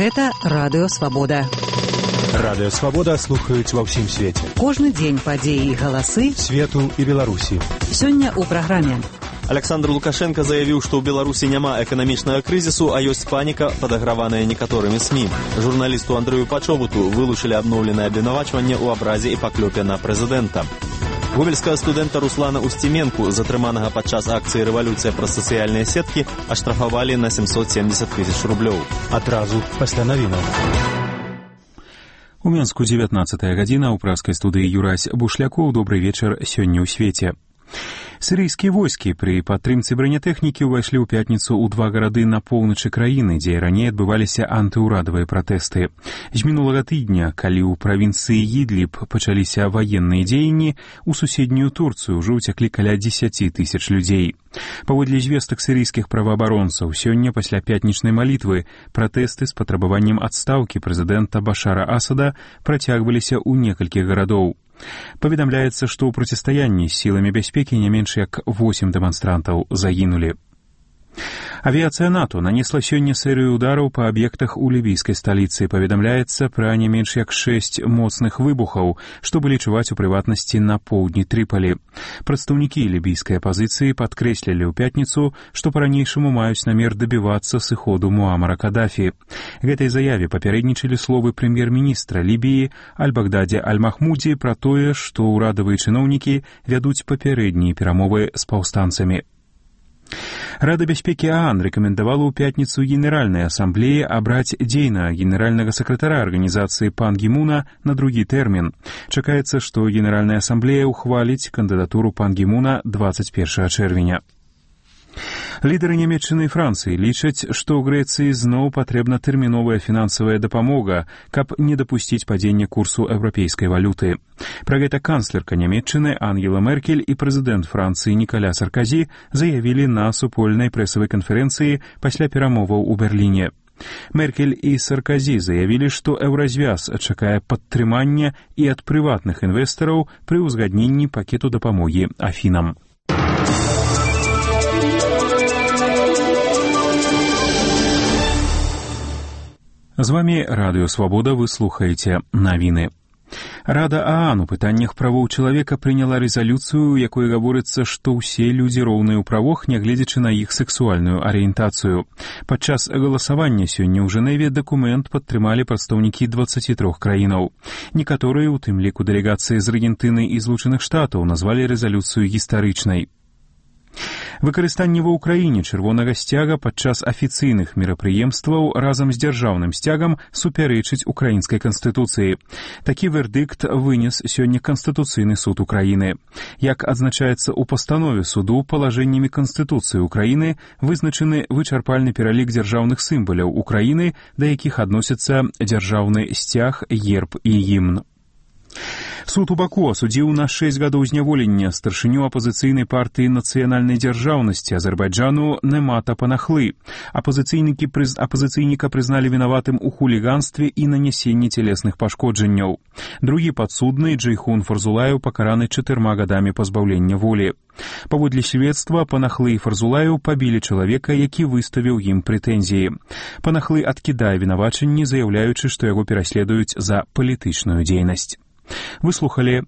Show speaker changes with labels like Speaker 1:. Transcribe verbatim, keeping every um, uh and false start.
Speaker 1: Гэта Радыё Свабода.
Speaker 2: Радыё Свабода слухаюць ва ўсім свеце.
Speaker 1: Кожны дзень падзеі і галасы
Speaker 2: свету і Беларусі.
Speaker 1: Сёння ў праграме.
Speaker 3: Александр Лукашенко заявіў, што ў Беларусі няма эканамічнага крызісу, а ёсць паніка, падаграваная некаторымі СМІ. Журналісту Андрэю Пачобуту вылучылі абноўленае абвінавачванне ў абразе і паклёпе на прэзідэнта. Гомельскага студэнта Руслана Устименку, затрыманага падчас акцыі «Рэвалюцыя» праз сацыяльныя сеткі, аштрафавалі на семьсот семьдесят тысяч рублёў.
Speaker 2: Адразу пасля навінаў.
Speaker 4: У Менску дзевятнаццатая гадзіна, у праскай студыі Юрась Бушлякоў. Добрый вечар сёння ў свеце. Сірыйскія войскі пры падтрымцы бранятэхнікі ўвайшлі ў пятніцу ў два гарады на поўначы краіны, дзе раней адбываліся антыўрадавыя пратэсты. З мінулага тыдня, калі ў правінцыі Ідліб пачаліся ваенныя дзеянні, у суседнюю Турцыю ўжо ўцяклі каля дзесяці тысяч людзей. Паводле звестак сірыйскіх праваабаронцаў, сёння пасля пятнічнай малітвы пратэсты з патрабаваннем адстаўкі прэзідэнта Башара Асада працягваліся ў некалькіх гарадоў. Паведамляецца, што ў процістаянні з сіламі бяспекі не менш як восем дэманстрантаў загінулі. Авіяцыя НАТО нанесла сёння серыю удараў па аб'ектах у лібійскай сталіцы. Паведамляецца пра не менш як шэсць моцных выбухаў, што былі чуваць у прыватнасці на поўдні Трыпалі. Прадстаўнікі лібійскай апазіцыі падкрэслілі ў пятніцу, што па-ранейшаму маюць намер дабівацца сыходу Муамара Кадафі. Гэтай заяве папярэднічалі словы прэм'ер-міністра Лібіі Аль-Багдадзе Аль-Махмудзі пра тое, што ўрадавыя чыноўнікі вядуць папярэднія перамовы з паўстанцамі. Рада бяспекі ААН рэкамендавала ў пятніцу Генеральнай асамблеі абраць дзейнага генеральнага сакратара арганізацыі Пан Гі Муна на другі тэрмін. Чакаецца, што Генеральная асамблея ўхваліць кандыдатуру Пан Гі Муна дваццаць першага чэрвеня. Лідары Нямецчыны і Францыі лічаць, што ў Грэцыі зноў патрэбна тэрміновая фінансавая дапамога, каб не дапусціць падзення курсу еўрапейскай валюты. Пра гэта канцлерка Нямецчыны Ангела Меркель і прэзідэнт Францыі Нікаля Сарказі заявілі на супольнай прэсавай канферэнцыі пасля перамоваў у Берліне. Меркель і Сарказі заявілі, што еўразвяз чакае падтрымання і ад прыватных інвестараў пры ўзгадненні пакету дапамогі Афінам. З вамі Радыё Свабода, вы слухаеце навіны. Рада ААН у пытаннях правоў чалавека прыняла рэзалюцыю, у якой гаворыцца, што ўсе людзі роўныя ў правах, нягледзячы на іх сексуальную арыентацыю. Падчас галасавання сёння ў Жэневе дакумент падтрымалі прадстаўнікі дваццаці трох краінаў. Некаторыя, у тым ліку дэлегацыі з Аргентыны і Злучаных Штатаў, назвалі рэзалюцыю гістарычнай. Выкарыстанне ва ўкраіне чырвонага сцяга падчас афіцыйных мерапрыемстваў разам з дзяржаўным сцягам супярэчыць украінскай канстытуцыі. Такі вердыкт вынес сёння Канстытуцыйны суд Украіны. Як адзначаецца ў пастанове суду, палажэннямі Канстытуцыі Украіны вызначаны вычарпальны пералік дзяржаўных сімваляў Украіны, да якіх адносяцца дзяржаўны сцяг, герб і гімн. Суд у Баку асудзіў на шэсць гадоў зняволення старшыню апазіцыйнай партыі нацыянальнай дзяржаўнасці Азербайджану Немата Панахлы. Апазіцыйнікі прыз... апазіцыйніка прызналі вінаватым у хуліганстве і нанясенні цялесных пашкоджанняў. Другі падсудны Джейхун Фарзулаеў пакараны чатырма гадамі пазбаўлення волі. Паводле сведства, Панахлы і Фарзулаеў пабілі чалавека, які выставіў ім прэтэнзіі. Панахлы адкідае вінавачанні, заяўляючы, што яго пераследуюць за палітычную дзейнасць. Выслухалі